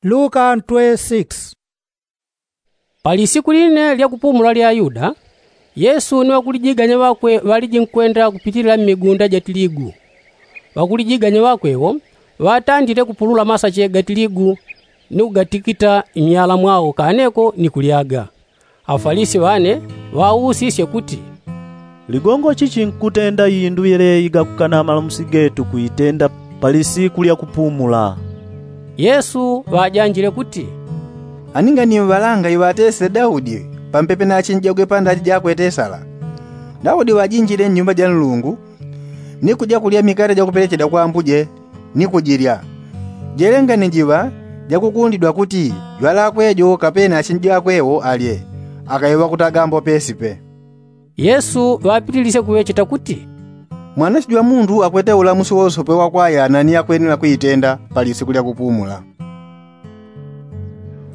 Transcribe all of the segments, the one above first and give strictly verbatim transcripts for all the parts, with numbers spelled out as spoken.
Luka ntwe six. Palisiku line lyakupumula lya ayuda, yesu ni ŵakulijiganya ŵakwe ŵaliji nkwenda kupitilila mmigunda ja tiligu. Ŵakulijiganya ŵakwe wo ŵatandile kupulula masache ga tiligu ni kugatikita mmyala mwao kaneko ni kulyaga. Afalisi ŵane ŵausisye kuti, ligongo chichi nkutenda indu yeleyi gakukana malamusi getu kuitenda palisiku lyakupumula? Yesu ŵajanjile kuti, ani nganiŵalanga iŵatesile daudi pampepe na achinji jakwe pandachi jakwe tesala? Daudi ŵajinjile nnyumba ja nlungu ni kuja kulya mikate jakupelechedwa kwa ambuje ni kujilya. Jele ngani jiŵa jakukundidwa kuti jwalakwe jo kapena achinji jakwe wo alye, akaiŵa kuti agambo pesipe. Yesu ŵapitilisye kuŵecheta kuti, mwanache jwa mundu akwete ulamusi wosope wakwayana ni yakwenela kuitenda palisiku lyakupumula.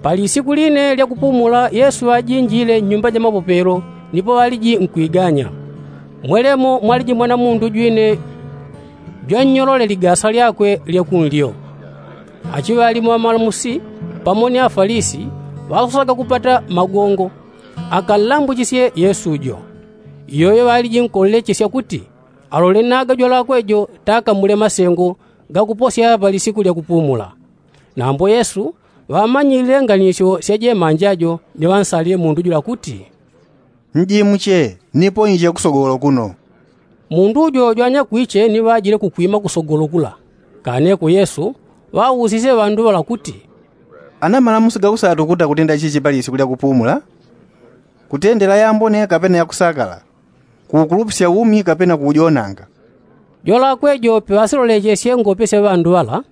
Palisiku line lyakupumula yesu ŵajinjile nnyumba ja mapopelo, nipo ŵaliji nkwiganya. Mwelemo mwaliji mwana mundu jwine jwannyolole ligasa lyakwe lyakunlyo. Achiŵalimu ŵamalamusi pamo ni afalisi ŵasosaga kupata magongo akanlambichisye yesu jo. Iyoyo ŵaliji nkonlechesya kuti alole naga jwalakwe jo takamule masengo gakuposya palisiku lyakupumula. Nambo yesu ŵamanyilile nganisyo sya jemanja jo ni ŵansalile mundu jula kuti, njimuche nipo inje kusogolo kuno. Mundu jo jwanyakwiche ni ŵajile kukwima kusogolo kula. Kaneko yesu ŵausisye ŵandu ŵala kuti, ana malamusi gausatu kuta kutenda chichi palisiku lyakupumula? Kutendela yambone kapena yakusakala? Kuukulupisya umi kapena kuujonanga? Jwalakwe jo piŵasilolechesye ngope sya ŵandu ŵala,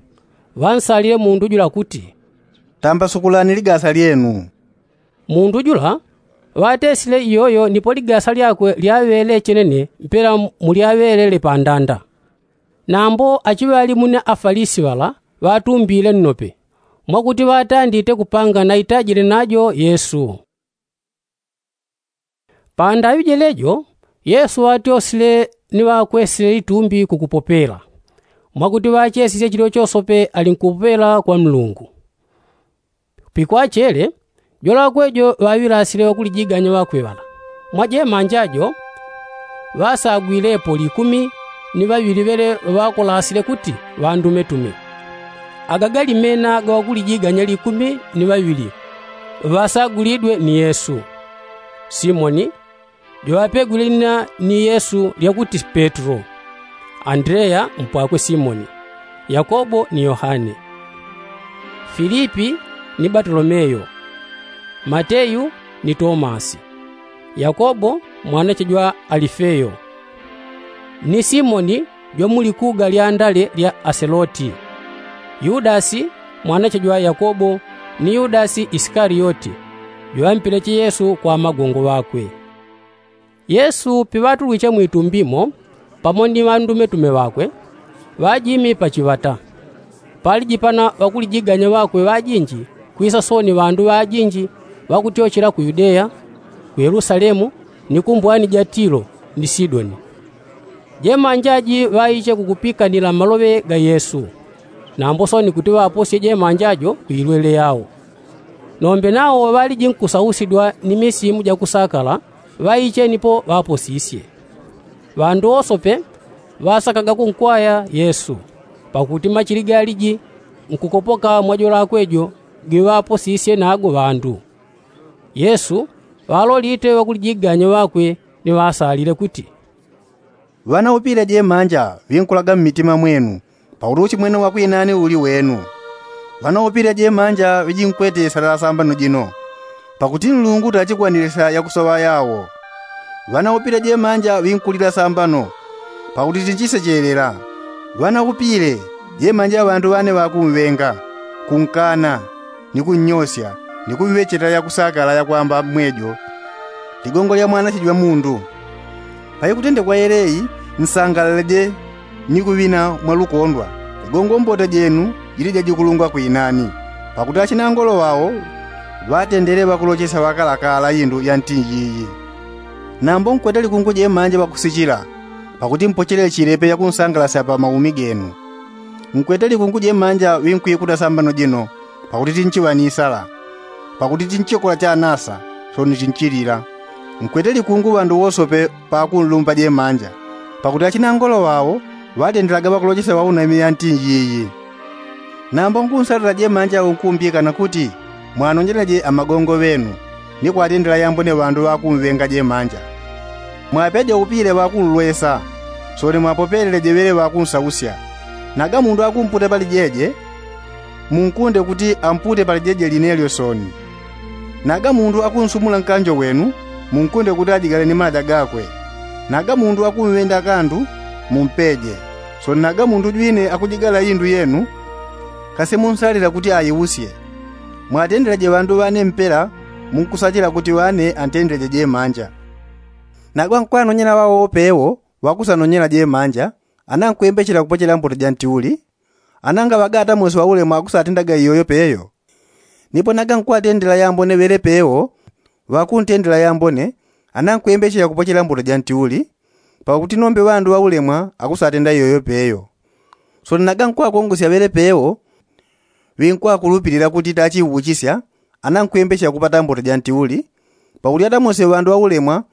ŵansalile mundu jula kuti, tambasukulani ligasa lyenu. Mundu jula ŵatesile iyoyo nipo ligasa lyakwe lyaŵele chenene mpela mulyaŵelele pandanda. Nambo achiŵalimu ni afalisi ŵala ŵatumbile nnope mwakuti ŵatandite kupanga naitajile najo yesu. Pandaŵi jelejo yesu ŵatyosile ni ŵakwesile itumbi kukupopela mwakuti ŵachesisye chilyo chosope ali nkupopela kwa nlungu. Pikwachele jwalakwe jo ŵaŵilasile ŵakulijiganya ŵakwe ŵala. Mwa jemanja jo ŵasagwilepo likumi ni ŵaŵili ŵele ŵaŵakolasile kuti ŵandumetume. Aga gali mena ga ŵakulijiganya likumi ni ŵaŵili ŵasagulidwe ni yesu. Simoni, jo ŵapegwile lina ni yesu lyakuti petro, andreya mpwakwe simoni, yakobo ni yohane, filipi ni batolomeyo, mateyu ni tomasi, yakobo mwanache jwa alifeyo, ni simoni jwa mu likuga lya ndale lya aseloti, yudasi mwanache jwa yakobo, ni yudasi isikaliyoti, jwaŵampileche yesu kwa magongo ŵakwe. Yesu piŵatulwiche mwitumbi mo pamo ni ŵandumetume ŵakwe, ŵajimi pachiŵata. Palijipana ŵakulijiganya ŵakwe ŵajinji, kwisa sooni ŵandu ŵajinji ŵakutyochela ku yudeya, ku yelusalemu, ni ku mbwani ja tilo ni sidoni. Jemanja ji ŵaiche kukupikanila maloŵe ga yesu. Nambo sooni kuti ŵaposye jemanja jo ku ilwele yao. Nombe nao ŵaliji nkusausidwa ni misimu jakusakala ŵaiche nipo ŵaposisye. Ŵandu wosope ŵasakaga kunkwaya yesu, pakuti machili galiji nkukopoka mwa jolakwe jo giŵaposisye nago ŵandu. Yesu ŵalolite ŵakulijiganya ŵakwe ni ŵasalile kuti, ŵanaupile jemanja ŵinkulaga mmitima mwenu, pakuti uchimwene wa kwinani uli wenu. Ŵanaupile jemanja ŵijinkwete isala ya sambano jino, pakuti nlungu tachikwanilisya yakusoŵa yawo. Ŵanaupile jemanja ŵinkulila sambano, pakuti tichisechelela. Ŵanaupile jemanja ŵandu ŵane ŵakumwenga, kunkana, ni kunnyosya, ni kuŵecheta yakusakala yakwamba mwejo, ligongo lya mwanache jwa mundu. Paikutendekwa yeleyi, nsangalaleje ni kuŵina mwa lukondwa, ligongo mbota jenu jili jajikulungwa kwinani. Pakuti achinangolo ŵao ŵatendele ŵakulochesya ŵakalakala indu ya ntinji iyi. Nambo nkwete likungu jemanja ŵakusichila, pakuti mpochele chilepe yakunsangalasya pa maumi genu. Nkwete likungu jemanja ŵinkwikuta sambano jino, pakuti tinchiŵa ni sala, pakuti tinchikola chanasa, soni tinchilila. Nkwete likungu ŵandu wosope pakunlumba jemanja, pakuti achinangolo ŵao ŵatendelaga ŵakulochesya ŵaunami yanti njiyi. Nambo nkunsalila jemanja unkumbikana kuti mwanonjeleje amagongo ŵenu, ni kwatendela yambone ŵandu ŵakunŵenga jemanja. Mwapeje upile ŵakunlwesa, soni mwapopelele jeŵele ŵakunsausya. Naga mundu akumputa pali jeje, munkunde kuti ampute pali jeje linelyo soni. Naga mundu akunsumula nkanjo wenu, munkunde kuti ajigale ni maja gakwe. Naga mundu akunŵenda kandu, mumpeje. Soni naga mundu jwine akujigala indu yenu, kasi munsalila kuti aiusye. Mwatendeleje ŵandu ŵane mpela, munkusachila kuti ŵane antendeleje jemanja. Naga nkwanonyela ŵawo pewo ŵakusanonyela jemanja, ana nkwembechela kupochela mbuto ja ntiuli. Ana ngaŵaga atamosi ŵaulemwa akusatendaga iyoyo peyo. Nipo naga nkwatendela yambone ŵele pewo ŵakuntendela yambone, ana nkwembechela kupochela mbuto ja ntiuli, pakuti nombe ŵandu ŵaulemwa akusatenda iyoyo peyo. Soni naga nkwakongosya ŵele pewo ŵinkwakulupilila kuti tachiuchisya, ana nkwembechela kupata mbuto ja ntiuli, pakuti atamosi ŵandu ŵaulemwa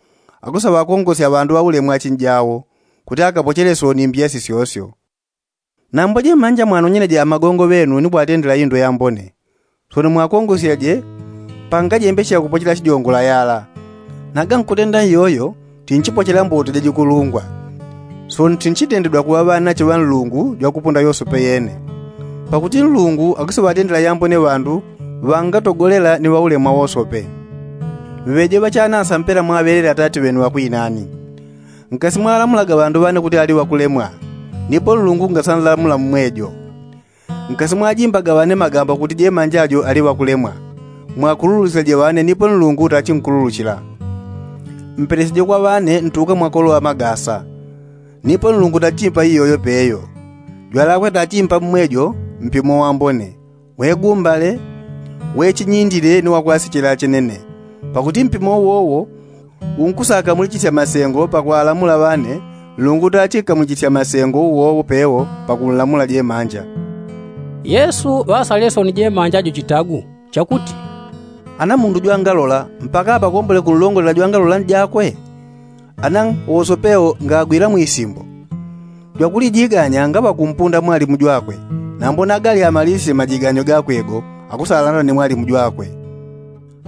akusaŵakongosya ŵandu ŵaulemwa achinjawo, kuti akapochele soni mbiya sisyosyo. Nambo jemanja mwanonyeleje amagongo ŵenu ni kwatendela indu yambone, soni mwakongosyaje pangajembechela kupochela chijongola yala. Naga nkutenda iyoyo tinchipochela mbuto jajikulungwa, soni tinchitendedwa kuŵa ŵanache ŵa Nlungu jwakupunda yosope yene. Pakuti Nlungu akusaŵatendela yambone ŵandu ŵangatogolela ni ŵaulemwa wosope. Ŵeje ŵachanasa mpela mwaŵelele atati ŵenu ŵakwinani. Nkasi mwalamulaga ŵandu ŵane kuti ali ŵakulemwa, nipo Nlungu ngasanlamula mmwejo. Nkasi mwajimbaga ŵane magambo kuti jemanja jo ali ŵakulemwa, mwakululusilaje ŵane nipo Nlungu tachinkululuchila. Mpeleseje kwa ŵane ntuka mwakoloŵa magasa, nipo Nlungu tachimpa iyoyo peyo. Jwalakwe tachimpa mmwejo mpimo wambone, wegumbale, wechinyindile ni wakwasichila chenene. Pakuti mpimo uwowo unkusakamulichisya masengo pakwalamula ŵane, Nlungu tachinkamulichisya masengo uwowo pewo pakunlamula jemanja. Yesu ŵasalesoni jemanja jo chitagu chakuti, ana mundu jwangalola mpaka apakombole kunlongolela jwangalola njakwe? Ana wosopewo ngagwila mwisimbo. Jwakulijiganya ngaŵakumpunda mwalimu jwakwe, nambo nagali amalisisye majiganyo gakwe go akusalanda ni mwalimu jwakwe.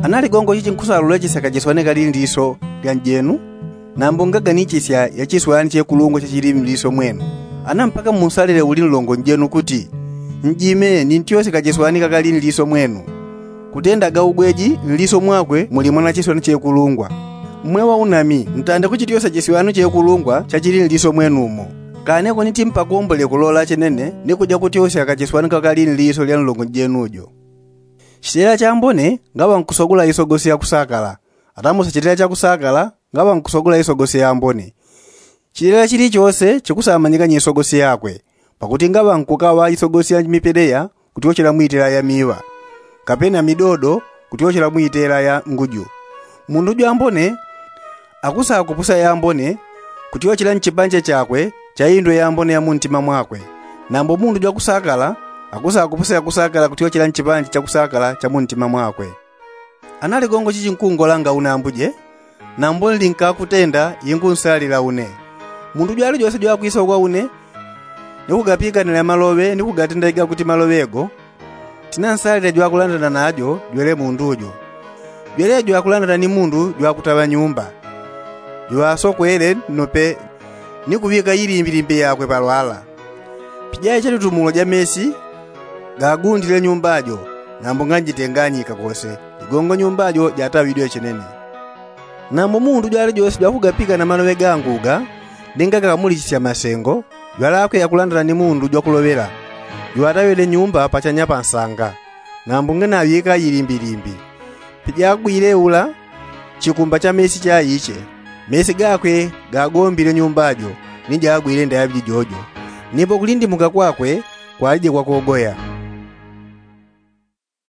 Ana ligongo chichi nkusalulechesya kachiswane kali nliso lya njenu, nambo ngaga ni chisya ya chiswani chekulungwa chachili nliso mwenu. Ana mpaka munsalile uli nlongo njenu kuti, njime nintyosye kachiswani kakali nliso mwenu. Kutendaga ugweji nliso mwakwe muli mwana chiswani chekulungwa. Mmwe ŵaunami, ntande kuchityosya chiswani chekulungwa chachili nliso mwenumo. Kaneko niti mpakombole kulola chenene ni kuja kutyosya kachiswani kakali nliso lya nlongo njenu jo. Chilela chambone ngaŵa nkusogula isogosi ya kusakala. Atamosa chilela cha kusakala ngaŵa nkusogula isogosi yambone. Chilela chilichose chikusamanyikanya isogosi yakwe, pakuti ngaŵa nkukaŵa isogosi ya mipeleya kutyochela mwitela ya miŵa, kapena midodo kutyochela mwitela ya nguju. Mundu jwambone akusakupusa yambone kutyochela nchipanje chakwe cha indu yambone ya muntima mwakwe. Nambo mundu jwakusakala akusakupusa yakusakala kutyochela nchipanje cha kusakala cha muntima mwakwe. Ana ligongo chichi nkungolanga une ambuje, nambo nlinkakutenda ingunsalila une. Mundu jwalijose jwakwisa ukwa une ni kugapikanila maloŵe ni kugatenda iga kuti maloŵe go, tinansalile jwakulandana najo jwele mundu jo. Jwele jwakulandana ni mundu jwakutaŵa nyumba, jwasokwele nnope ni kuŵika ilimbilimbi yakwe palwala. Pija iche litumulo ja mesi gagundile nyumba jo, nambo nganjitenganyika kose, ligongo nyumba jo jataŵidwe chenene. Nambo mundu jwalijose jwakugapika na maloŵe gangu ga, linga gakamulichisya masengo, jwalakwe yakulandana ni mundu jwakuloŵela, jwataŵile nyumba pachanya pa nsanga, nambo nganaŵika ilimbilimbi. Pija agwile ula chikumba cha mesi chaiche, mesi gakwe gagombile nyumba jo, ni jagwile ndaŵi jijojo. Nipo kulindimuka kwakwe kwalije kwakogoya.